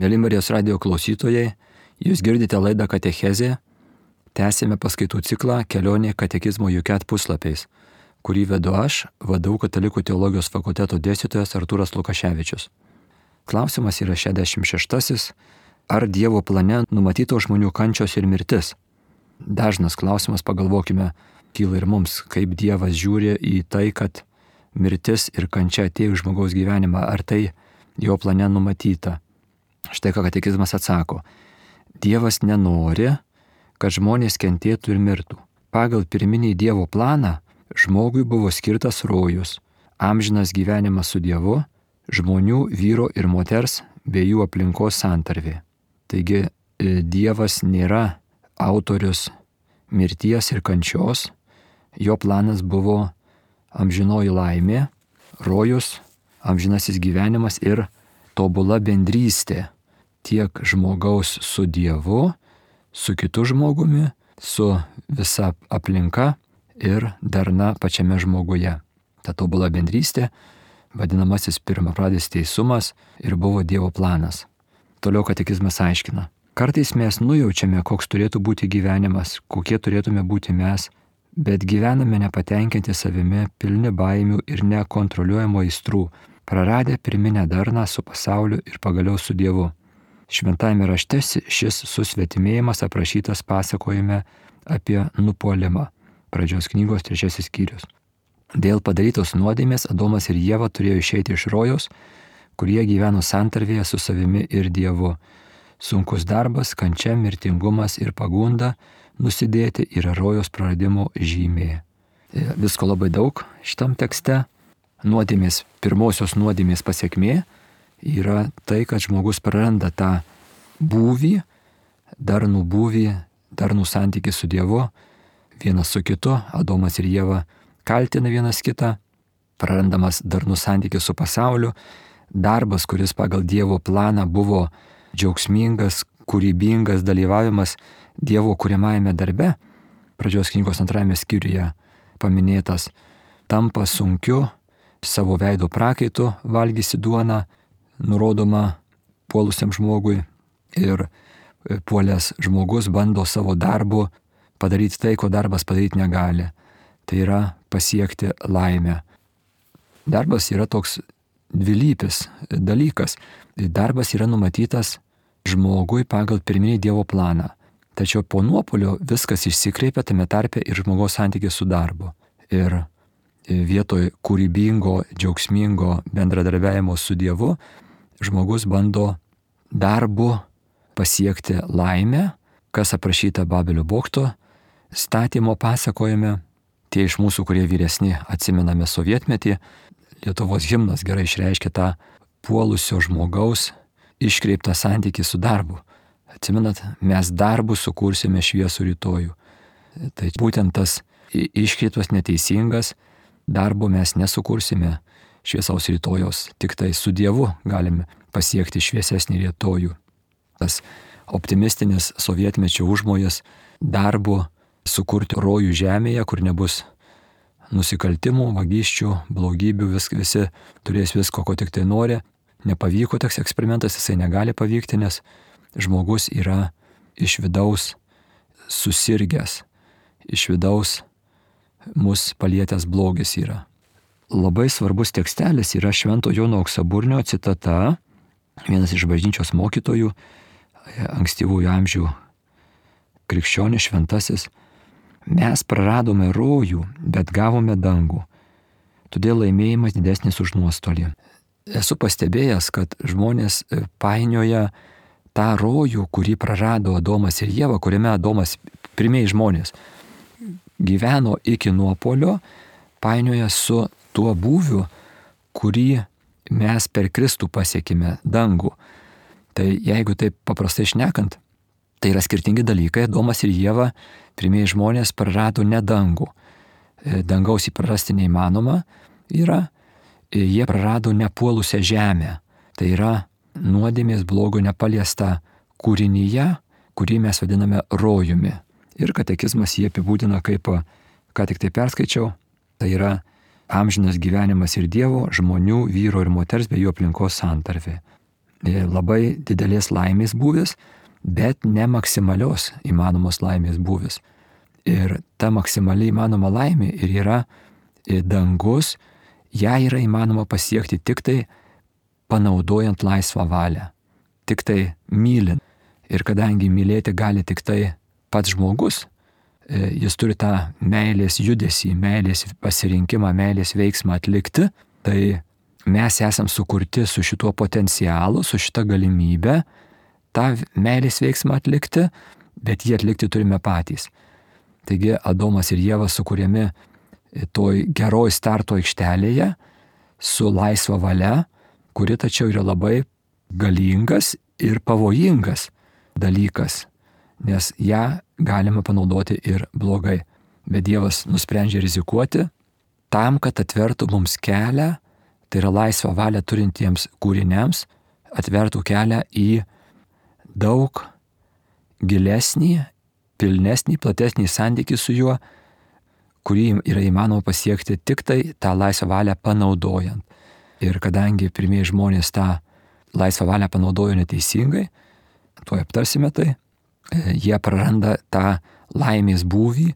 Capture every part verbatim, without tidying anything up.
Mėly Marijos radijo klausytojai, jūs girdite laidą Katechezė, tęsėme paskaitų ciklą Kelionė katekizmo Juket puslapiais, kurį vedu aš, V D U Katalikų teologijos fakulteto dėstytojas Artūras Lukaševičius. Klausimas yra šešiasdešimt šeštasis. Ar Dievo plane numatyto žmonių kančios ir mirtis? Dažnas klausimas, pagalvokime, kyla ir mums, kaip Dievas žiūri į tai, kad mirtis ir kančia atėjo į žmogaus gyvenimą, ar tai jo plane numatyta. Štai ką katekizmas atsako. Dievas nenori, kad žmonės kentėtų ir mirtų. Pagal pirminį Dievo planą žmogui buvo skirtas rojus, amžinas gyvenimas su Dievu, žmonių, vyro ir moters bei jų aplinkos santarvė. Taigi Dievas nėra autorius mirties ir kančios, jo planas buvo amžinoji laimė, rojus, amžinasis gyvenimas ir tobula bendrystė tiek žmogaus su Dievu, su kitu žmogumi, su visa aplinka ir darna pačiame žmoguje. Ta tobula bendrystė, vadinamasis pirmapradis teisumas, ir buvo Dievo planas. Toliau katekizmas aiškina. Kartais mes nujaučiame, koks turėtų būti gyvenimas, kokie turėtume būti mes, bet gyvename nepatenkinti savimi, pilni baimių ir nekontroliuojamo aistrų, praradę pirminę darną su pasauliu ir pagaliau su Dievu. Šventajame rašte šis susvetimėjimas aprašytas pasakojime apie nupuolimą. Pradžios knygos trečiasis skyrius. Dėl padarytos nuodėmės Adomas ir Ieva turėjo išeiti iš rojaus, kurie gyveno santarvėje su savimi ir Dievu. Sunkus darbas, kančia, mirtingumas ir pagunda nusidėti yra rojaus praradimo žymė. Visko labai daug šitam tekste. Nuodėmės, pirmosios nuodėmės pasiekmė yra tai, kad žmogus praranda tą būvį, darnų būvį, darnų santykį su Dievu, vienas su kitu. Adomas ir Ieva kaltina vienas kitą, prarandamas darnų santykį su pasauliu. Darbas, kuris pagal Dievo planą buvo džiaugsmingas, kūrybingas dalyvavimas Dievo kuriamajame darbe, pradžios knygos antrajame skyriuje paminėtas, tampa sunkiu, savo veido prakaitu valgysi duoną, nurodoma puolusiam žmogui, ir puolęs žmogus bando savo darbu padaryti tai, ko darbas padaryti negali. Tai yra pasiekti laimę. Darbas yra toks dvilypis dalykas. Darbas yra numatytas žmogui pagal pirminį Dievo planą. Tačiau po nuopuolio viskas išsikreipia, tame tarpe ir žmogaus santykis su darbu. Ir vietoj kūrybingo, džiaugsmingo bendradarbiavimo su Dievu, žmogus bando darbu pasiekti laimę, kas aprašyta Babelio bokšto statymo pasakojime. Tie iš mūsų, kurie vyresni, atsimename sovietmetį, Lietuvos himnas gerai išreiškia tą puolusio žmogaus iškreiptą santykį su darbu. Atsimenat, mes darbu sukursime šviesų rytojų. Tai būtent tas iškreiptas neteisingas, darbo mes nesukursime šviesaus rytojaus, tik tai su Dievu galime pasiekti šviesesnį rytojų. Tas optimistinis sovietmečio užmojas darbu sukurti rojų žemėje, kur nebus nusikaltimų, vagysčių, blogybių, vis, visi turės visko, ko tik tai nori. Nepavyko toks eksperimentas, jisai negali pavykti, nes žmogus yra iš vidaus susirgęs, iš vidaus mus palietęs blogis yra. Labai svarbus tekstelis yra Švento Jono Auksaburnio citata, vienas iš bažnyčios mokytojų, ankstyvųjų amžių krikščionis šventasis. Mes praradome rojų, bet gavome dangų. Todėl laimėjimas didesnis už nuostolį. Esu pastebėjęs, kad žmonės painioja tą rojų, kurį prarado Adomas ir Ieva, kuriame Adomas, pirmieji žmonės, gyveno iki nuopuolio, painioja su tuo būviu, kurį mes per Kristų pasiekime, dangų. Tai jeigu taip paprastai šnekant, tai yra skirtingi dalykai. Adomas ir Ieva, pirmieji žmonės, prarado ne dangų. Dangaus įprarasti neįmanoma yra. Jie prarado nepuolusią žemę. Tai yra nuodėmės blogio nepaliesta kūrinyje, kurį mes vadiname rojumi. Ir katekizmas jį apibūdina kaip, ką tik tai perskaičiau, tai yra amžinas gyvenimas ir Dievo, žmonių, vyro ir moters bei jų aplinkos santarvė. labai didelės laimės būvis, bet ne maksimalios įmanomos laimės būvis. Ir ta maksimaliai įmanoma laimė ir yra dangus, ją yra įmanoma pasiekti tik tai panaudojant laisvą valią, tik tai mylint. Ir kadangi mylėti gali tik tai pats žmogus, jis turi tą meilės judesį, meilės pasirinkimą, meilės veiksmą atlikti, tai mes esam sukurti su šituo potencialu, su šita galimybė tą meilės veiksmą atlikti, bet jį atlikti turime patys. Taigi Adomas ir Ieva sukūrėmi toj geroj starto aikštelėje su laisva valia, kuri tačiau yra labai galingas ir pavojingas dalykas, nes ją galima panaudoti ir blogai. Bet Dievas nusprendžia rizikuoti tam, kad atvertų mums kelią, tai yra laisvą valią turintiems kūriniams, atvertų kelią į daug gilesnį, pilnesnį, platesnį santykį su juo, kurį yra įmanoma pasiekti tik tai tą laisvą valią panaudojant. Ir kadangi pirmieji žmonės tą laisvą valią panaudojo neteisingai, tuoj aptarsime tai, jie praranda tą laimės būvį,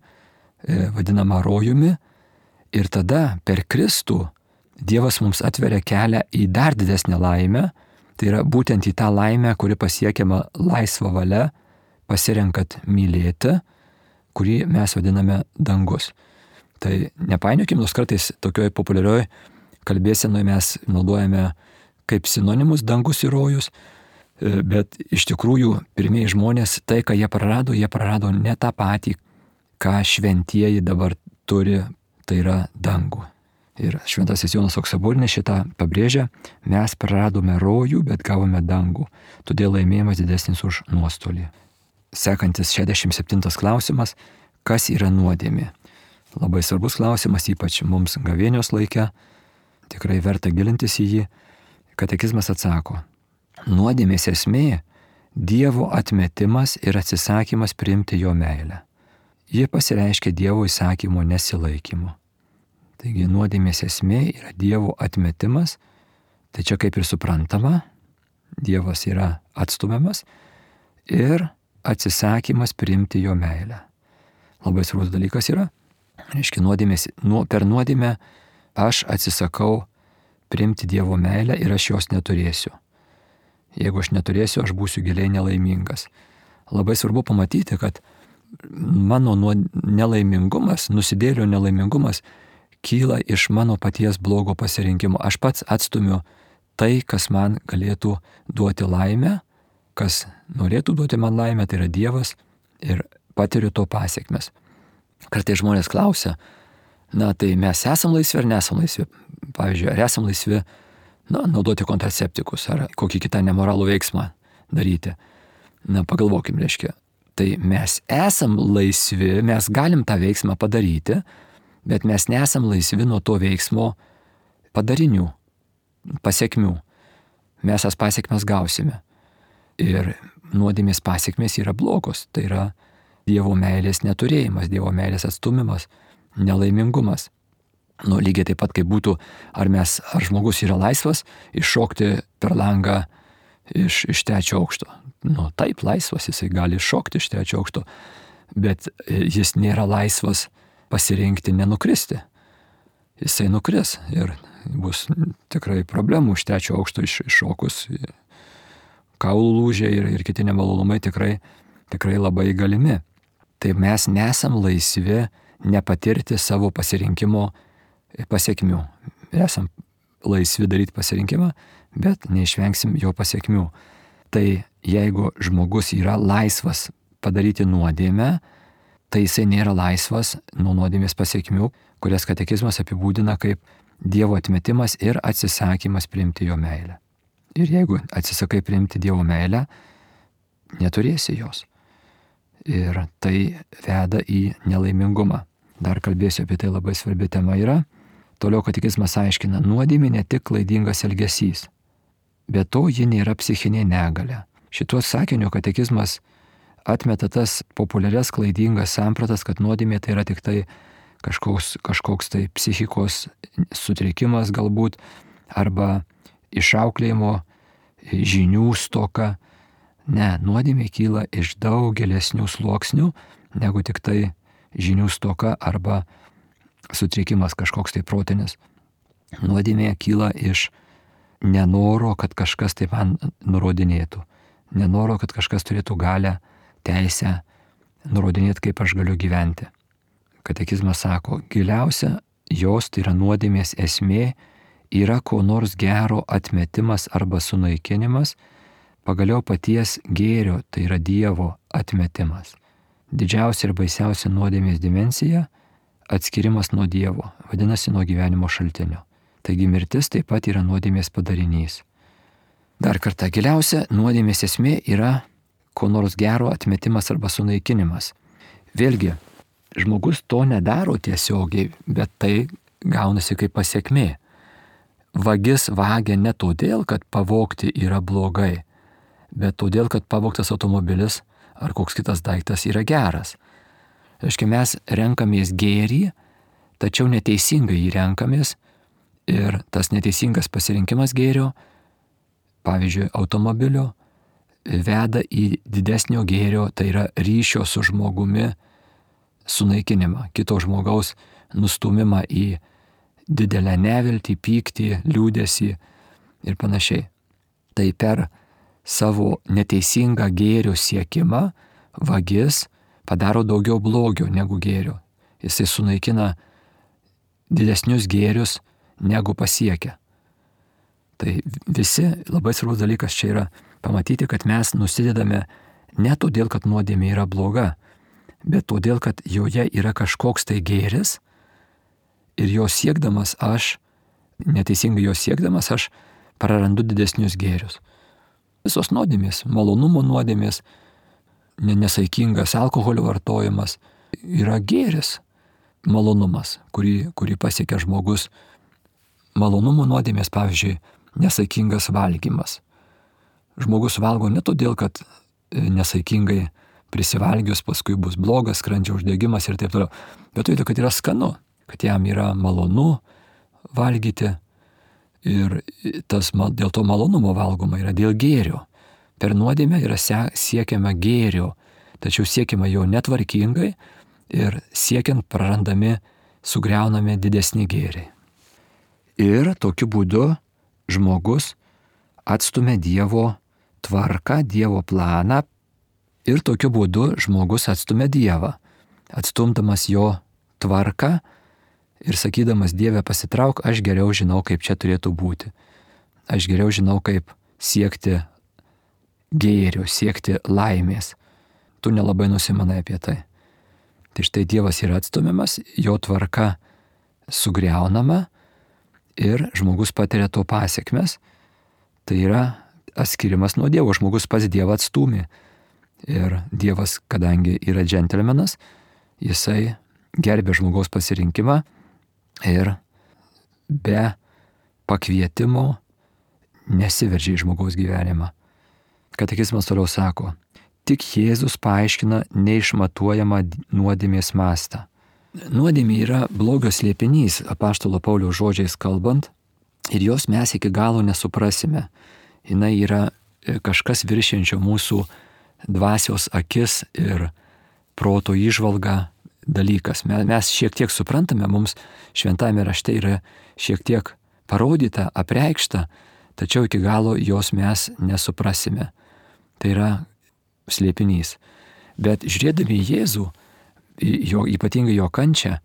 vadinamą rojumi, ir tada per Kristų Dievas mums atveria kelią į dar didesnę laimę, tai yra būtent į tą laimę, kuri pasiekiama laisvą valią, pasirenkat mylėti, kurį mes vadiname dangus. Tai nepainiokim, nors kartais tokioj populiarioj kalbėsenoje mes naudojame kaip sinonimus dangus ir rojus, bet iš tikrųjų pirmieji žmonės, tai ką jie prarado, jie prarado ne tą patį, ką šventieji dabar turi, tai yra dangų. Ir šventasis Jonas Auksaburinis šitą pabrėžia, mes praradome rojų, bet gavome dangų, todėl laimėjimas didesnis už nuostolį. Sekantis šešiasdešimt septintas klausimas, kas yra nuodėmė? Labai svarbus klausimas, ypač mums gavėnios laike, tikrai verta gilintis į jį. Katekizmas atsako, nuodėmės esmė – Dievo atmetimas ir atsisakymas priimti jo meilę. Ji pasireiškia Dievo įsakymo nesilaikymu. Taigi nuodėmės esmė yra Dievo atmetimas, tai čia kaip ir suprantama, Dievas yra atstumiamas ir atsisakymas priimti jo meilę. Labai svarbus dalykas yra, reiškia, nuodėmės, nu, per nuodėmę aš atsisakau priimti Dievo meilę ir aš jos neturėsiu. Jeigu aš neturėsiu, aš būsiu giliai nelaimingas. Labai svarbu pamatyti, kad mano nelaimingumas, nusidėlio nelaimingumas kyla iš mano paties blogo pasirinkimo. Aš pats atstumiu tai, kas man galėtų duoti laimę, kas norėtų duoti man laimę, tai yra Dievas, ir patiriu to pasiekmes. Kartais žmonės klausia, na tai mes esam laisvi ar nesam laisvi? Pavyzdžiui, ar esam laisvi na, naudoti kontraceptikus ar kokį kitą nemoralų veiksmą daryti? Na pagalvokim, reiškia, tai mes esam laisvi, mes galim tą veiksmą padaryti, bet mes nesam laisvi nuo to veiksmo padarinių, pasiekmių. Mes tas pasiekmes gausime. Ir nuodėmės pasiekmės yra blogos. Tai yra Dievo meilės neturėjimas, Dievo meilės atstumimas, nelaimingumas. Nu, lygiai taip pat, kaip būtų, ar, mes, ar žmogus yra laisvas iššokti per langą iš, iš trečio aukšto. Nu, taip, laisvas, jisai gali iššokti iš trečio aukšto, bet jis nėra laisvas pasirinkti nenukristi. Jisai nukris ir bus tikrai problemų iš trečio aukšto iš, iššokus. Kaulų lūžiai ir, ir kiti nemalonumai tikrai, tikrai labai galimi. Tai mes nesam laisvi nepatirti savo pasirinkimo pasiekmių. Esam laisvi daryti pasirinkimą, bet neišvengsim jo pasiekmių. Tai jeigu žmogus yra laisvas padaryti nuodėmę, tai jisai nėra laisvas nuo nuodėmės pasiekmių, kurias katekizmas apibūdina kaip Dievo atmetimas ir atsisakymas priimti jo meilę. Ir jeigu atsisakai priimti Dievo meilę, neturėsi jos. Ir tai veda į nelaimingumą. Dar kalbėsiu apie tai, labai svarbi tema yra. Toliau katekizmas aiškina, nuodėmė ne tik klaidingas elgesys, bet to ji nėra psichinė negalia. Šituo sakiniu katekizmas atmeta tas populiarias klaidingas sampratas, kad nuodėmė tai yra tik tai kažkoks, kažkoks tai psichikos sutrikimas galbūt, arba išauklėjimo žinių stoka. Ne, nuodėmė kyla iš daug gilesnių sluoksnių negu tik tai žinių stoka arba sutrikimas kažkoks tai protinis. Nuodėmė kyla iš nenoro, kad kažkas tai man nurodinėtų. Nenoro, kad kažkas turėtų galę, teisę nurodinėti, kaip aš galiu gyventi. Katekizmas sako, giliausia jos, tai yra nuodėmės esmė, yra ko nors gero atmetimas arba sunaikinimas, pagaliau paties gėrio, tai yra Dievo atmetimas. Didžiausia ir baisiausia nuodėmės dimensija - atskirimas nuo Dievo, vadinasi nuo gyvenimo šaltinio. Taigi mirtis taip pat yra nuodėmės padarinys. Dar kartą, giliausia nuodėmės esmė yra ko nors gero atmetimas arba sunaikinimas. Vėlgi, žmogus to nedaro tiesiogiai, bet tai gaunasi kaip pasiekmė. Vagis vagia ne todėl, kad pavogti yra blogai, bet todėl, kad pavogtas automobilis ar koks kitas daiktas yra geras. Reiškia, mes renkamės gėrį, tačiau neteisingai jį renkamės ir tas neteisingas pasirinkimas gėrio, pavyzdžiui, automobilio, veda į didesnio gėrio, tai yra ryšio su žmogumi sunaikinimą, kito žmogaus nustumimą į didelę neviltį, pyktį, liūdesį ir panašiai. Tai per savo neteisingą gėrio siekimą vagis padaro daugiau blogio negu gėrio. Jisai sunaikina didesnius gėrius negu pasiekia. Tai visi labai svarbus dalykas čia yra pamatyti, kad mes nusidedame ne todėl, kad nuodėmė yra bloga, bet todėl, kad joje yra kažkoks tai gėris ir jo siekdamas aš, neteisingai jo siekdamas aš prarandu didesnius gėrius. Visos nuodėmės, malonumo nuodėmės, nesaikingas alkoholio vartojimas yra gėris, malonumas, kurį, kurį pasiekia žmogus. Malonumo nuodėmės, pavyzdžiui, nesaikingas valgymas. Žmogus valgo ne todėl, kad nesaikingai prisivalgius paskui bus blogas skrandžio uždegimas ir taip toliau, bet todėl, kad yra skanu, kad jam yra malonu valgyti ir tas, dėl to malonumo valgoma yra dėl gėrio. Per nuodėmę yra siekiama gėrio, tačiau siekiama jo netvarkingai ir siekiant prarandami, sugriaunami didesni gėriai. Ir tokiu būdu žmogus atstumia Dievo tvarką, Dievo planą ir tokiu būdu žmogus atstumia Dievą, atstumdamas jo tvarką ir sakydamas Dieve pasitrauk, aš geriau žinau, kaip čia turėtų būti. Aš geriau žinau, kaip siekti gėrio, siekti laimės. Tu nelabai nusimanai apie tai. Tai štai Dievas yra atstumiamas, jo tvarka sugriaunama ir žmogus patiria to pasiekmes. Tai yra atskirimas nuo Dievo, žmogus pats Dievą atstūmė. Ir Dievas, kadangi yra džentelmenas, jisai gerbė žmogaus pasirinkimą ir be pakvietimo nesiveržė į žmogaus gyvenimą. Katekizmas toliau sako, tik Jėzus paaiškina neišmatuojamą nuodėmės mastą. Nuodėmė yra blogio slėpinys, apaštalo Pauliaus žodžiais kalbant, ir jos mes iki galo nesuprasime. Jis yra kažkas viršiančio mūsų dvasios akis ir proto įžvalga dalykas. Mes šiek tiek suprantame, mums šventame rašte yra šiek tiek parodyta, apreikšta, tačiau iki galo jos mes nesuprasime. Tai yra slėpinys. Bet žiūrėdami į Jėzų, jo, ypatingai jo kančią,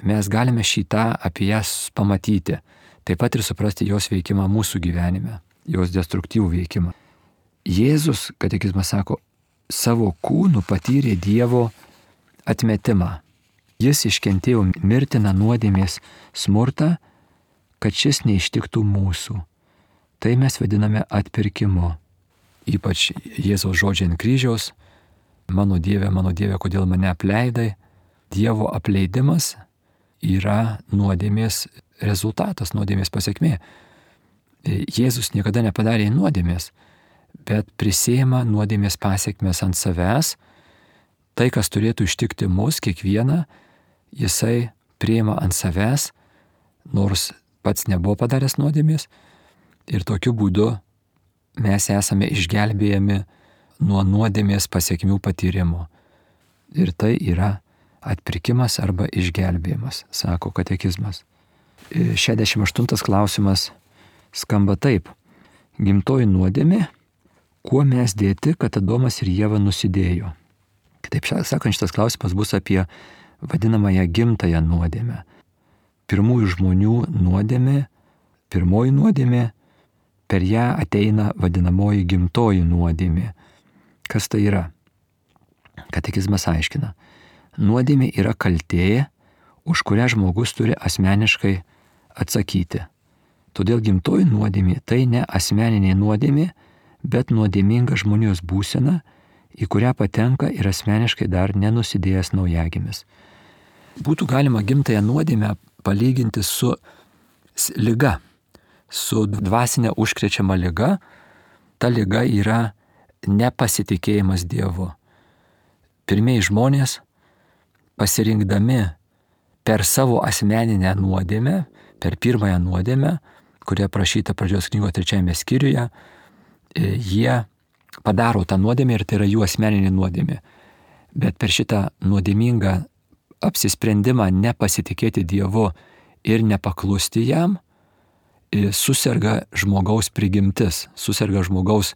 mes galime šitą apie jas pamatyti. Taip pat ir suprasti jos veikimą mūsų gyvenime, jos destruktyvų veikimą. Jėzus, katekizmas sako, savo kūnu patyrė Dievo atmetimą. Jis iškentėjo mirtiną nuodėmės smurtą, kad šis neištiktų mūsų. Tai mes vadiname atpirkimu. Ypač Jėzaus žodžiai ant kryžiaus, mano Dieve, mano Dieve, kodėl mane apleidai. Dievo apleidimas yra nuodėmės rezultatas, nuodėmės pasiekmė. Jėzus niekada nepadarė nuodėmės, bet prisėma nuodėmės pasiekmes ant savęs. Tai, kas turėtų ištikti mus, kiekvieną, jisai priima ant savęs, nors pats nebuvo padaręs nuodėmės. Ir tokiu būdu mes esame išgelbėjami nuo nuodėmės pasekmių patyrimo. Ir tai yra atpirkimas arba išgelbėjimas, sako katekizmas. šešiasdešimt aštuntas klausimas skamba taip. Gimtoji nuodėmė, kuo mes dėti, kad Adomas ir Ieva nusidėjo? Kitaip sakant, šitas klausimas bus apie vadinamąją gimtąją nuodėmę. Pirmųjų žmonių nuodėmė, pirmoji nuodėmė, per ją ateina vadinamoji gimtoji nuodėmė. Kas tai yra? Katekizmas aiškina. Nuodėmė yra kaltė, už kurią žmogus turi asmeniškai atsakyti. Todėl gimtoji nuodėmė tai ne asmeninė nuodėmė, bet nuodėminga žmonijos būsena, į kurią patenka ir asmeniškai dar nenusidėjęs naujagimis. Būtų galima gimtąją nuodėmę palyginti su liga, su dvasinė užkrečiama liga. Ta liga yra nepasitikėjimas Dievu. Pirmieji žmonės, pasirinkdami per savo asmeninę nuodėmę, per pirmąją nuodėmę, kuria aprašyta pradžios knygos trečiajame skyriuje, jie padaro tą nuodėmę ir tai yra jų asmeninė nuodėmė. Bet per šitą nuodėmingą apsisprendimą nepasitikėti Dievu ir nepaklusti jam, suserga žmogaus prigimtis, suserga žmogaus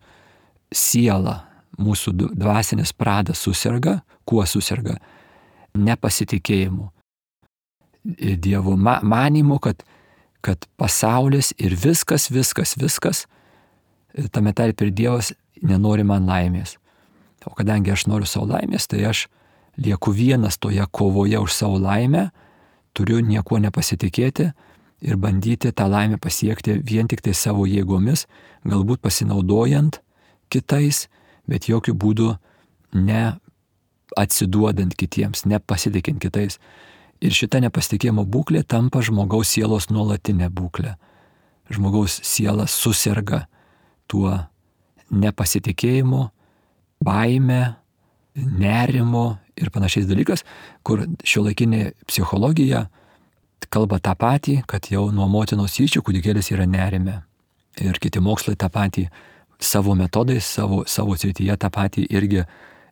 siela, mūsų dvasinis pradas suserga. Kuo suserga? Nepasitikėjimu Dievu, manimu, kad, kad pasaulis ir viskas, viskas, viskas, tame tarpe ir Dievas nenori man laimės. O kadangi aš noriu savo laimės, tai aš lieku vienas toje kovoje už savo laimę, turiu niekuo nepasitikėti ir bandyti tą laimę pasiekti vien tik tai savo jėgomis, galbūt pasinaudojant kitais, bet jokių būdų ne atsiduodant kitiems, nepasitikint kitais. Ir šita nepasitikėjimo būklė tampa žmogaus sielos nuolatinė būklė. Žmogaus siela suserga tuo nepasitikėjimu, baime, nerimo ir panašiais dalykas, kur šiuolaikinė psichologija kalba tą patį, kad jau nuo motinos įsčių kūdikėlis yra nerime. Ir kiti mokslai tą patį savo metodais, savo, savo srityje tą patį irgi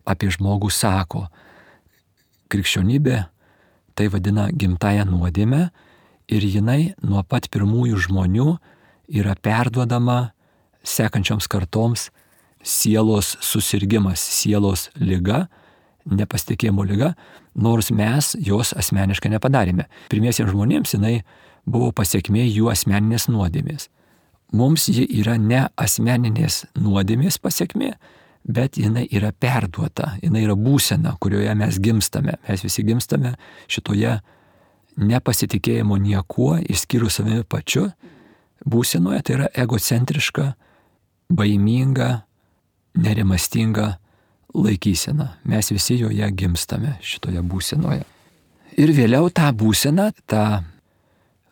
apie žmogų sako. Krikščionybė tai vadina gimtąją nuodėmę ir jinai nuo pat pirmųjų žmonių yra perduodama sekančioms kartoms sielos susirgimas, sielos liga, nepasitikėjimo liga, nors mes jos asmeniškai nepadarėme. Pirmiesiems žmonėms jinai buvo pasiekmė jų asmeninės nuodėmės. Mums ji yra ne asmeninės nuodėmės pasiekmė, bet jinai yra perduota, jinai yra būsena, kurioje mes gimstame. Mes visi gimstame šitoje nepasitikėjimo niekuo, išskyrus savimi pačiu, būsenoje. Tai yra egocentriška, baiminga, nerimastinga laikysena. Mes visi joje gimstame šitoje būsenoje. Ir vėliau tą būseną, tą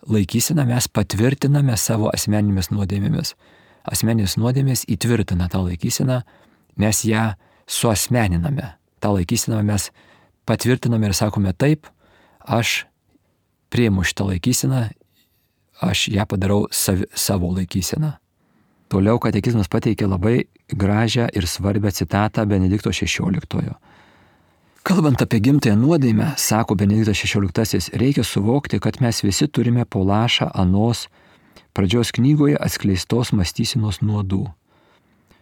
laikyseną mes patvirtiname savo asmeninėmis nuodėmėmis. Asmeninės nuodėmės įtvirtina tą laikyseną, mes ją suasmeniname. Ta laikysena mes patvirtiname ir sakome taip, aš priimu šitą laikyseną, aš ją padarau sav, savo laikyseną. Toliau katekizmas pateikia labai gražią ir svarbią citatą Benedikto šešioliktojo. Kalbant apie gimtąją nuodėmę, sako Benediktas šešioliktasis, reikia suvokti, kad mes visi turime po lašą anos pradžios knygoje atskleistos mąstysenos nuodų.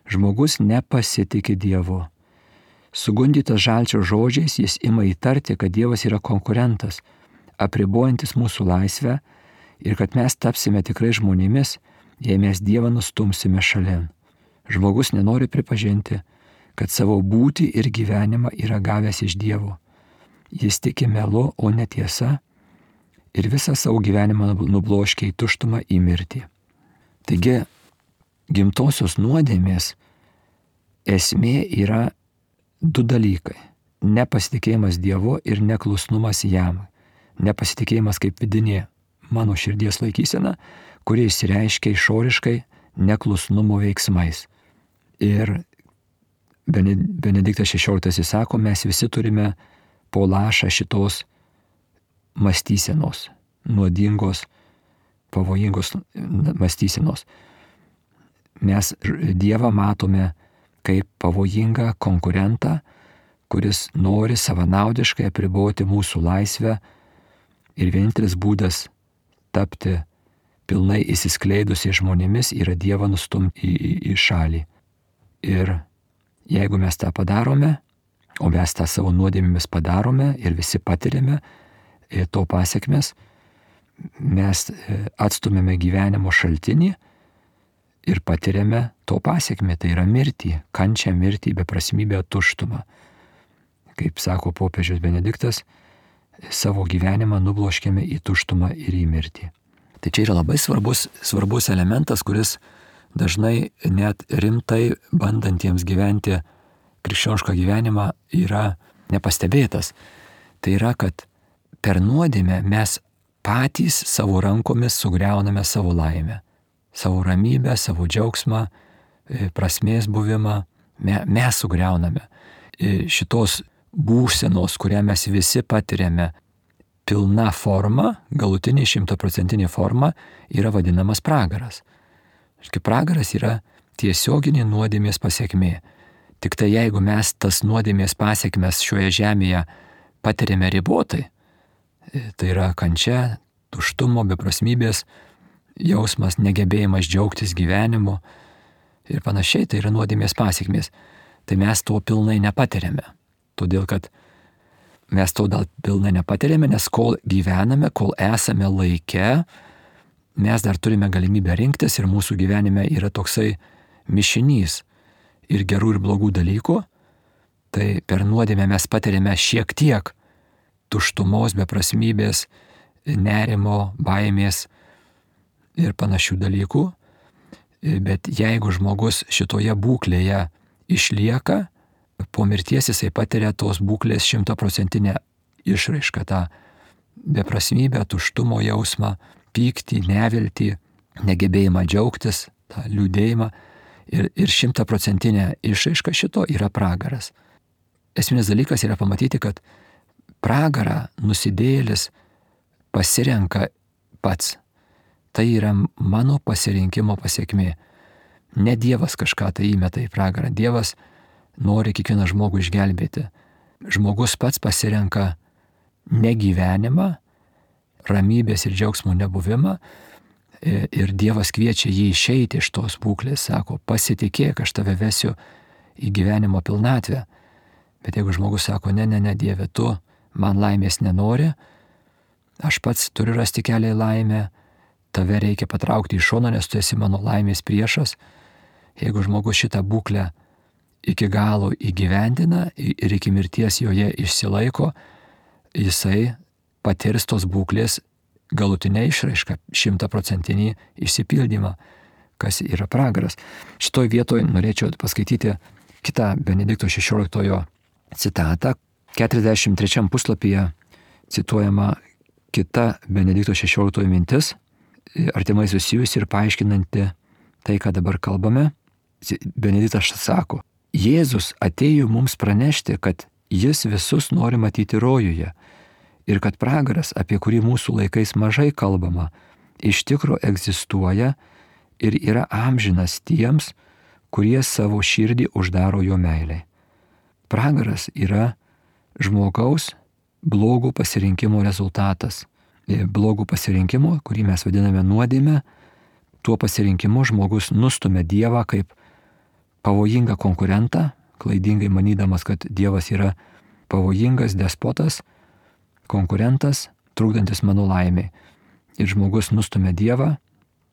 Žmogus nepasitikė Dievu. Sugundytas žalčio žodžiais jis ima įtarti, kad Dievas yra konkurentas, apribojantis mūsų laisvę ir kad mes tapsime tikrai žmonėmis, jei mes Dievą nustumsime šalin. Žmogus nenori pripažinti, kad savo būtį ir gyvenimą yra gavęs iš Dievo. Jis tiki melu, o ne tiesa, ir visą savo gyvenimą nubloškia į tuštumą, į mirtį. Taigi, gimtosios nuodėmės esmė yra du dalykai. Nepasitikėjimas Dievu ir neklusnumas jam. Nepasitikėjimas kaip vidinė mano širdies laikysena, kurie išsireiškia išoriškai neklusnumo veiksmais. Ir Benediktas šešioliktasis sako, mes visi turime po lašą šitos mąstysenos, nuodingos, pavojingos mąstysenos. mes Dievą matome kaip pavojingą konkurentą, kuris nori savanaudiškai apriboti mūsų laisvę ir vienintelis būdas tapti pilnai įsiskleidusiais žmonėmis yra Dievą nustumti į, į, į šalį. Ir jeigu mes tą padarome, o mes tą savo nuodėmėmis padarome ir visi patiriame to pasiekmes, mes atstumėme gyvenimo šaltinį ir patiriame to pasiekmę, tai yra mirtį, kančią, mirtį, beprasmybę, tuštumą. Kaip sako popiežius Benediktas, savo gyvenimą nubloškėme į tuštumą ir į mirtį. Tai čia yra labai svarbus, svarbus elementas, kuris dažnai net rimtai bandantiems gyventi krikščionišką gyvenimą yra nepastebėtas. Tai yra, kad per nuodėmę mes patys savo rankomis sugriauname savo laimę, savo ramybę, savo džiaugsmą, prasmės buvimą, mes sugriauname. Šitos būsenos, kurią mes visi patiriame, pilna forma, galutinė šimtaprocentinė forma yra vadinamas pragaras. Kaip pragaras yra tiesioginė nuodėmės pasiekmė. Tik tai jeigu mes tas nuodėmės pasiekmes šioje žemėje patiriame ribotai, tai yra kančia, tuštumo, beprasmybės jausmas, negebėjimas džiaugtis gyvenimu ir panašiai, tai yra nuodėmės pasiekmės. Tai mes to pilnai nepatiriame. Todėl, kad mes to dėl pilnai nepatiriame, nes kol gyvename, kol esame laike, mes dar turime galimybę rinktis ir mūsų gyvenime yra toksai mišinys ir gerų ir blogų dalykų. Tai per nuodėmę mes patiriame šiek tiek tuštumos, beprasmybės, nerimo, baimės ir panašių dalykų. Bet jeigu žmogus šitoje būklėje išlieka, po mirties jisai patiria tos būklės šimtaprocentinę išraišką, tą beprasmybę, tuštumo jausmą, pyktį, neviltį, negebėjimą džiaugtis, tą liūdėjimą. Ir, ir šimtaprocentinė išraiška šito yra pragaras. Esminis dalykas yra pamatyti, kad pragarą nusidėjėlis pasirenka pats. Tai yra mano pasirinkimo pasiekmė. Ne Dievas kažką tai įmeta į pragarą. Dievas nori kiekvieną žmogų išgelbėti. Žmogus pats pasirenka negyvenimą, ramybės ir džiaugsmo nebuvimą ir Dievas kviečia jį išeiti iš tos būklės, sako, pasitikėk, aš tave vesiu į gyvenimo pilnatvę. Bet jeigu žmogus sako, ne, ne, ne, Dieve, tu man laimės nenori, aš pats turiu rasti kelią į laimę, tave reikia patraukti į šoną, nes tu esi mano laimės priešas. Jeigu žmogus šitą būklę iki galo įgyvendina ir iki mirties joje išsilaiko, jisai patirs tos būklės galutinę išraišką, šimtaprocentinį išsipildymą, kas yra pragaras. Šitoj vietoj norėčiau paskaityti kitą Benedikto šešioliktojo citatą. keturiasdešimt trečiam puslapyje cituojama kita Benedikto šešioliktojo mintis, artimai susijusi ir paaiškinanti tai, ką dabar kalbame. Benediktas sako, Jėzus atėjo mums pranešti, kad jis visus nori matyti rojuje ir kad pragaras, apie kurį mūsų laikais mažai kalbama, iš tikro egzistuoja ir yra amžinas tiems, kurie savo širdį uždaro jo meilei. Pragaras yra žmogaus blogų pasirinkimo rezultatas. Blogų pasirinkimo, kurį mes vadiname nuodėme, tuo pasirinkimu žmogus nustumia Dievą kaip pavojingą konkurentą, klaidingai manydamas, kad Dievas yra pavojingas despotas, konkurentas, trukdantis mano laimei. Ir žmogus nustumia Dievą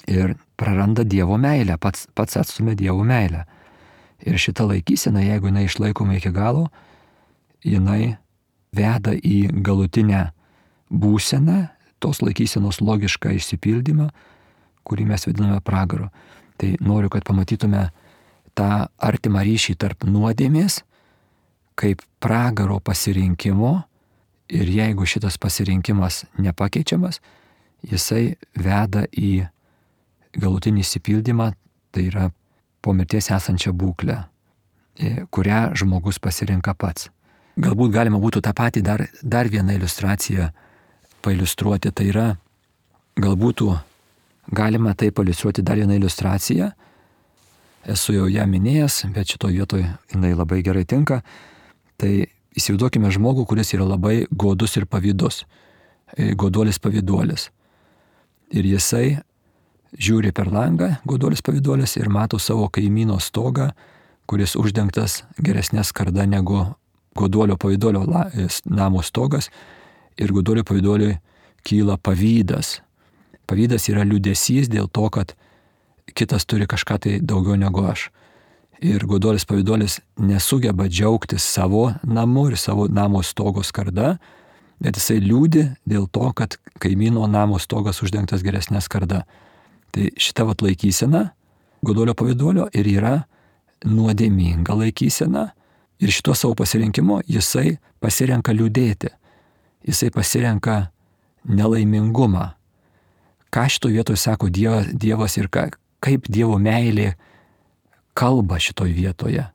ir praranda Dievo meilę, pats, pats atstumia Dievo meilę. Ir šita laikysena, jeigu jinai išlaikoma iki galo, jinai veda į galutinę būseną, tos laikysenos logišką išsipildymą, kurį mes vadiname pragaru. Tai noriu, kad pamatytume tą artimą ryšį tarp nuodėmės, kaip pragaro pasirinkimo, ir jeigu šitas pasirinkimas nepakeičiamas, jisai veda į galutinį išsipildymą, tai yra po mirties esančią būklę, kurią žmogus pasirenka pats. Galbūt galima būtų tą patį dar, dar vieną iliustraciją pailiustruoti, tai yra, galbūt galima tai pailiustruoti dar vieną iliustraciją, esu jau ją minėjęs, bet šitoje vietoje jinai labai gerai tinka. Tai įsivaizduokime žmogų, kuris yra labai godus ir pavydus. Goduolis pavyduolis. Ir jisai žiūri per langą, goduolis pavyduolis, ir mato savo kaimyno stogą, kuris uždengtas geresnė skarda negu goduolio pavyduolio namo stogas, ir goduolio pavyduoliui kyla pavydas. Pavydas yra liūdesys dėl to, kad kitas turi kažką tai daugiau negu aš. Ir goduolis pavyduolis nesugeba džiaugtis savo namu ir savo namo stogo skarda, bet jisai liūdi dėl to, kad kaimyno namo stogas uždengtas geresnė skarda. Tai šita vat laikysena goduolio pavyduolio ir yra nuodėminga laikysena, ir šituo savo pasirinkimu jisai pasirenka liūdėti. Jisai pasirenka nelaimingumą. Ką šitoje vietoje sako Dievas ir ką, kaip Dievo meilė kalba šitoje vietoje.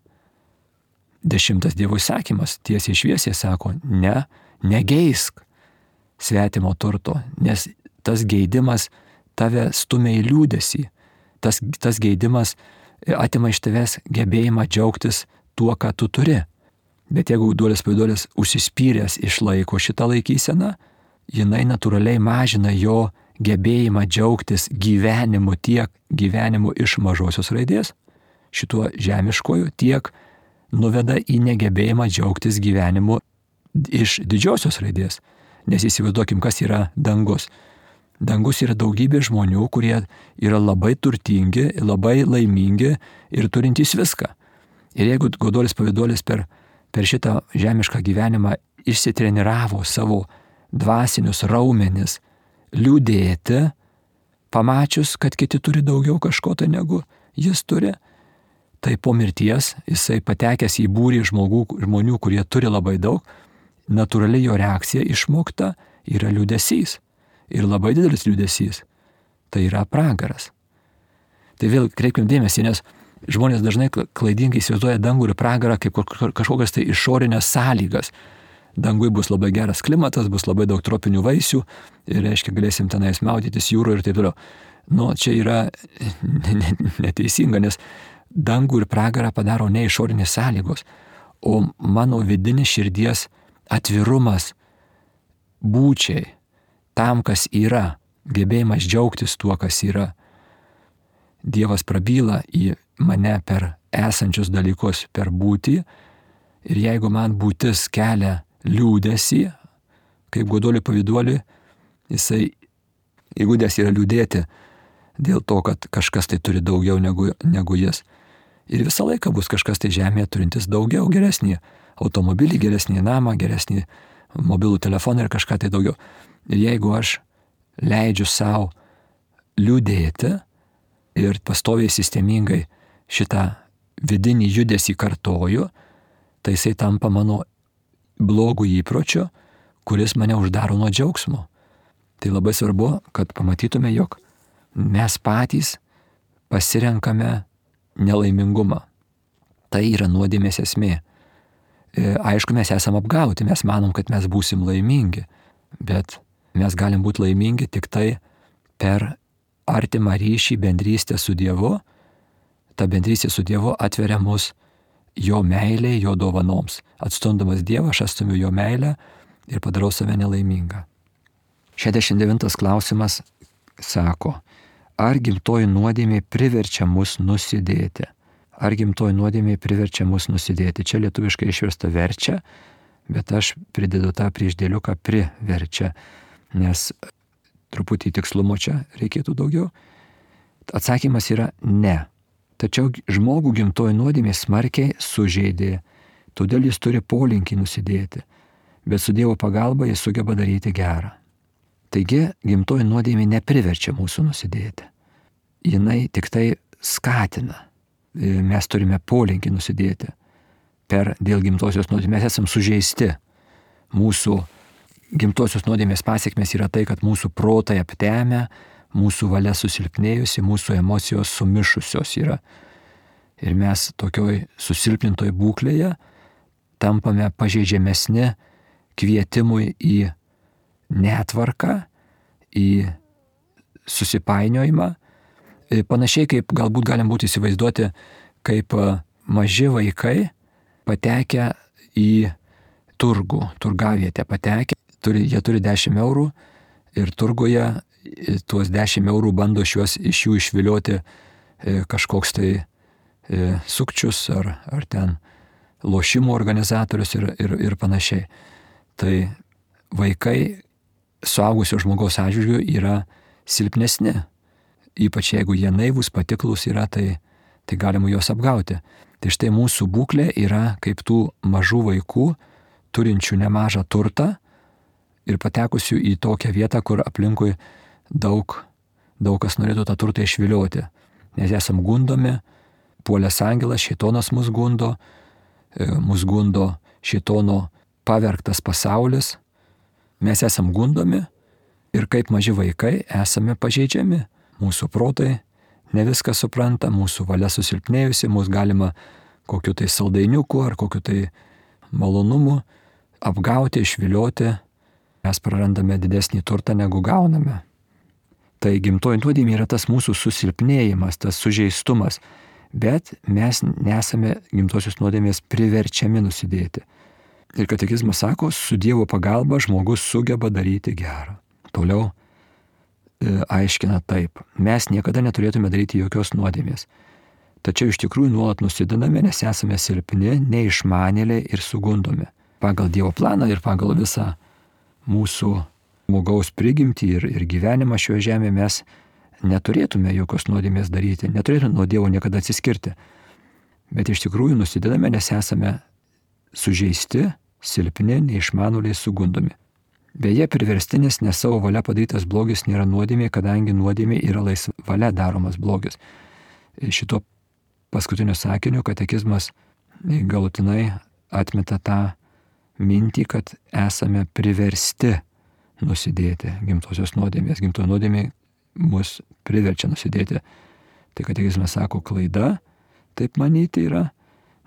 Dešimtas Dievo įsakymas tiesiai šviesiai sako, ne, negeisk svetimo turto, nes tas geidimas tave stumia į liūdesį. Tas, tas geidimas atima iš tavęs gebėjimą džiaugtis tuo, ką tu turi. Bet jeigu goduolis pavyduolis užsispyręs išlaiko šitą laikyseną, jinai natūraliai mažina jo gebėjimą džiaugtis gyvenimu, tiek gyvenimu iš mažosios raidės, šituo žemiškoju, tiek nuveda į negebėjimą džiaugtis gyvenimu iš didžiosios raidės. Nes įsivaizduokim, kas yra dangus. Dangus yra daugybė žmonių, kurie yra labai turtingi, labai laimingi ir turintys viską. Ir jeigu goduolis pavyduolis per, per šitą žemišką gyvenimą išsitreniravo savo dvasinius raumenis liūdėti, pamačius, kad kiti turi daugiau kažko tai negu jis turi, tai po mirties jisai patekęs į būrį žmogų, žmonių, kurie turi labai daug, natūraliai jo reakcija išmokta yra liūdesys. Ir labai didelis liūdesys. Tai yra pragaras. Tai vėl kreipkim dėmesį, nes žmonės dažnai klaidingai įsivaizduoja dangų ir pragarą kaip kažkokias tai išorinės sąlygas. Dangui bus labai geras klimatas, bus labai daug tropinių vaisių ir, reiškia, galėsim tenais maudytis jūroje ir taip toliau. Nu, čia yra neteisinga, nes dangų ir pragarą padaro ne išorinės sąlygos, o mano vidinis širdies atvirumas būčiai, tam, kas yra, gebėjimas džiaugtis tuo, kas yra. Dievas prabyla į mane per esančius dalykus, per būtį, ir jeigu man būtis kelia liūdesį, kaip goduoliui pavyduoliui, jisai įgudęs yra liūdėti dėl to, kad kažkas tai turi daugiau negu, negu jis. Ir visą laiką bus kažkas tai žemėje turintis daugiau, geresnį automobilį, geresnį namą, geresnį mobilų telefoną ir kažką tai daugiau. Ir jeigu aš leidžiu savo liūdėti ir pastoviai sistemingai šitą vidinį judesį kartoju, tai jisai tampa mano blogų įpročių, kuris mane uždaro nuo džiaugsmo. Tai labai svarbu, kad pamatytume, jog mes patys pasirenkame nelaimingumą. Tai yra nuodėmės esmė. Aišku, mes esam apgauti, mes manom, kad mes būsim laimingi, bet mes galim būti laimingi tik tai per artimą ryšį, bendrystę su Dievu. Ta bendrystė su Dievu atveria mus jo meilė, jo dovanoms. Atstumdamas Dievą, aš atstumiu jo meilę ir padarau save nelaimingą. šešiasdešimt devintas klausimas sako, ar gimtoji nuodėmė priverčia mus nusidėti? Ar gimtoji nuodėmė priverčia mus nusidėti? Čia lietuviškai išversta verčia, bet aš pridedu tą priešdėliuką priverčia, nes truputį tikslumo čia reikėtų daugiau. Atsakymas yra ne. Tačiau žmogų gimtoji nuodėmė smarkiai sužeidė, todėl jis turi polinkį nusidėti, bet su Dievo pagalba jis sugeba daryti gerą. Taigi gimtoji nuodėmė nepriverčia mūsų nusidėti. Jinai tik tai skatina. Mes turime polinkį nusidėti. Per dėl gimtosios nuodėmės mes esam sužeisti. Mūsų gimtosios nuodėmės pasiekmės yra tai, kad mūsų protai aptemę, mūsų valia susilpnėjusi, mūsų emocijos sumišusios yra. Ir mes tokioj susilpnintoj būklėje tampame pažeidžiamesni kvietimui į netvarką, į susipainiojimą, Panašiai kaip galbūt galim būti įsivaizduoti, kaip maži vaikai patekę į turgų, turgavietę patekę, turi, jie turi dešimt eurų ir turguje tuos dešimt eurų bando šios, iš jų išvilioti kažkoks tai sukčius ar, ar ten lošimų organizatorius ir, ir, ir panašiai. Tai vaikai suaugusio žmogaus atžvilgiu yra silpnesni. Ypač jeigu jie naivūs, patiklus yra, tai, tai galima juos apgauti. Tai štai mūsų būklė yra kaip tų mažų vaikų, turinčių nemažą turtą ir patekusių į tokią vietą, kur aplinkui daug, daug kas norėtų tą turtą išvilioti. Nes esam gundomi, puolęs angelas, šėtonas mus gundo, mus gundo šėtono pavergtas pasaulis. Mes esam gundomi ir kaip maži vaikai esame pažeidžiami. Mūsų protai ne viską supranta, mūsų valia susilpnėjusi, mūsų galima kokiu tai saldainiuku ar kokiu tai malonumu apgauti, išvilioti. Mes prarandame didesnį turtą, negu gauname. Tai gimtoji nuodėmė yra tas mūsų susilpnėjimas, tas sužeistumas, bet mes nesame gimtosios nuodėmės priverčiami nusidėti. Ir katekizmas sako, su Dievo pagalba žmogus sugeba daryti gerą. Toliau aiškina taip, mes niekada neturėtume daryti jokios nuodėmės. Tačiau iš tikrųjų nuolat nusidedame, nes esame silpni, neišmanėliai ir sugundomi. Pagal Dievo planą ir pagal visą mūsų žmogaus prigimtį ir, ir gyvenimą šioje žemėje mes neturėtume jokios nuodėmės daryti, neturėtume nuo Dievo niekada atsiskirti. Bet iš tikrųjų nusidedame, nes esame sužeisti, silpni, neišmanėliai, sugundomi. Beje, priverstinis ne savo valia padarytas blogis nėra nuodėmė, kadangi nuodėmė yra laisva valia daromas blogis. Šito paskutinio sakinio katekizmas galutinai atmeta tą mintį, kad esame priversti nusidėti gimtosios nuodėmės. Gimtoji nuodėmė mus priverčia nusidėti. Tai katekizmas sako, klaida taip manyti yra,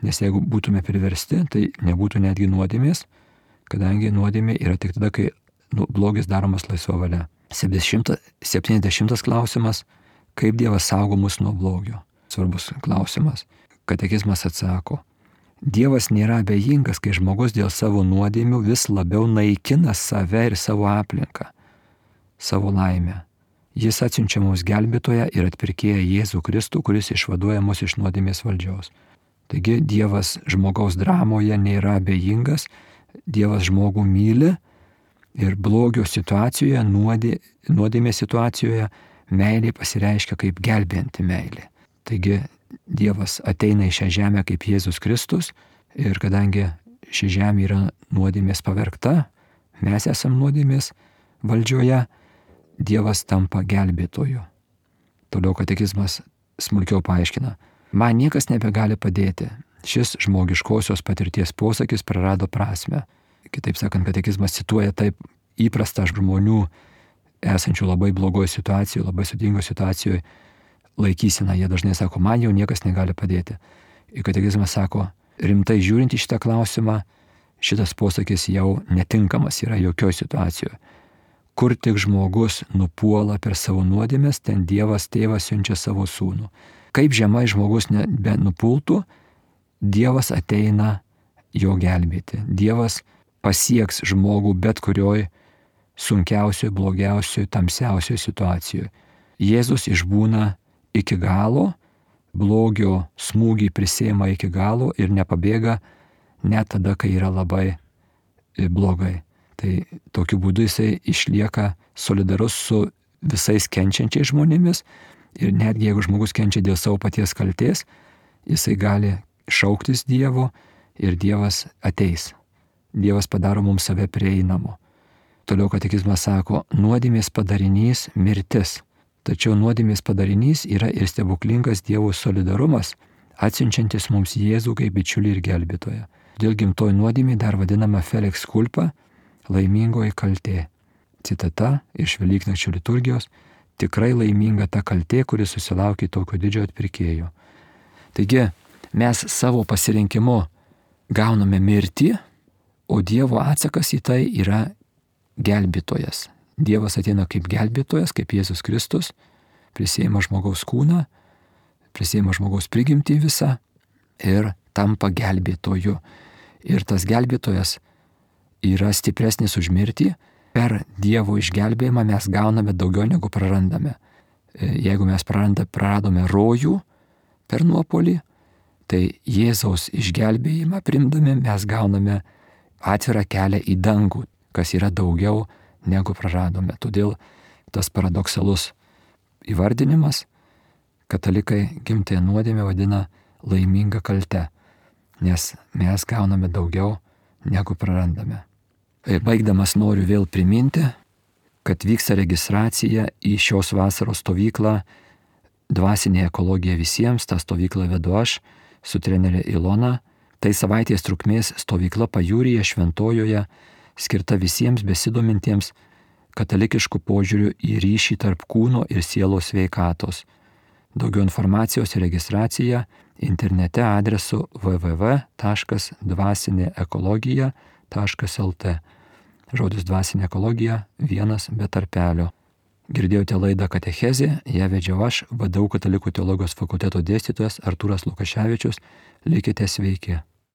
nes jeigu būtume priversti, tai nebūtų netgi nuodėmės, kadangi nuodėmė yra tik tada, kai nu, blogis daromas laisva valia. septyniasdešimtas klausimas, kaip Dievas saugo mus nuo blogio. Svarbus klausimas. Katekizmas atsako, Dievas nėra abejingas, kai žmogus dėl savo nuodėmių vis labiau naikina save ir savo aplinką, savo laimę. Jis atsiunčia mums gelbėtoją ir atpirkėją Jėzų Kristų, kuris išvaduoja mus iš nuodėmės valdžios. Taigi Dievas žmogaus dramoje nėra abejingas, Dievas žmogų myli ir blogio situacijoje, nuodė, nuodėmės situacijoje meilė pasireiškia kaip gelbėjanti meilė. Taigi Dievas ateina į šią žemę kaip Jėzus Kristus ir kadangi ši žemė yra nuodėmės pavergta, mes esam nuodėmės valdžioje, Dievas tampa gelbėtoju. Toliau katekizmas smulkiau paaiškina. Man niekas nebegali padėti. Šis žmogiškosios patirties posakis prarado prasme. Kitaip sakant, katekizmas cituoja taip įprastą žmonių esančių labai blogoje situacijoje, labai sudėtingoje situacijoje laikysena. Jie dažnai sako, man jau niekas negali padėti. Ir katekizmas sako, rimtai žiūrint į šitą klausimą, šitas posakis jau netinkamas yra jokioje situacijoje. Kur tik žmogus nupuola per savo nuodėmes, ten Dievas tėvas siunčia savo sūnų. Kaip žemai žmogus nupultų, Dievas ateina jo gelbėti. Dievas pasieks žmogų bet kurioj sunkiausioje, blogiausioje, tamsiausioje situacijoje. Jėzus išbūna iki galo, blogio smūgį prisėma iki galo ir nepabėga net tada, kai yra labai blogai. Tai tokiu būdu jisai išlieka solidarus su visais kenčiančiais žmonėmis ir netgi jeigu žmogus kenčia dėl savo paties kaltės, jisai gali šauktis Dievo ir Dievas ateis. Dievas padaro mums save prieinamu. Toliau katekizmas sako, nuodėmės padarinys mirtis. Tačiau nuodėmės padarinys yra ir stebuklingas Dievo solidarumas, atsiunčiantis mums Jėzų kaip bičiulį ir gelbėtoją. Dėl gimtoji nuodėmė dar vadinama Felix culpa, laimingoji kaltė. Citata iš Velyknakčio liturgijos, tikrai laiminga ta kaltė, kuri susilaukė tokio didžio atpirkėjo. Taigi mes savo pasirinkimu gauname mirtį, o Dievo atsakas į tai yra gelbėtojas. Dievas ateina kaip gelbėtojas, kaip Jėzus Kristus prisėima žmogaus kūną, prisėima žmogaus prigimtį visą ir tampa gelbėtoju. Ir tas gelbėtojas yra stipresnis už mirtį. Per Dievo išgelbėjimą mes gauname daugiau negu prarandame. Jeigu mes praranda, praradome rojų per nuopolį, tai Jėzaus išgelbėjimą primdami mes gauname atvirą kelią į dangų, kas yra daugiau negu praradome. Todėl tas paradoksalus įvardinimas katalikai gimtąją nuodėmę vadina laiminga kalte, nes mes gauname daugiau negu prarandame. Baigdamas noriu vėl priminti, kad vyksta registracija į šios vasaros stovyklą Dvasinė ekologija visiems. Ta stovyklą vedu aš su trenerė Ilona. Tai savaitės trukmės stovykla Pajūryje Šventojoje, skirta visiems besidomintiems katalikiškų požiūrių į ryšį tarp kūno ir sielos sveikatos. Daugiau informacijos ir registracija internete adresu w w w taškas dvasinė ekologija taškas l t. Žodis dvasinė ekologija vienas be tarpelio. Girdėjote laidą Katechezė, ją vedžiau aš, V D U Katalikų teologijos fakulteto dėstytojas Artūras Lukaševičius. Likite sveiki.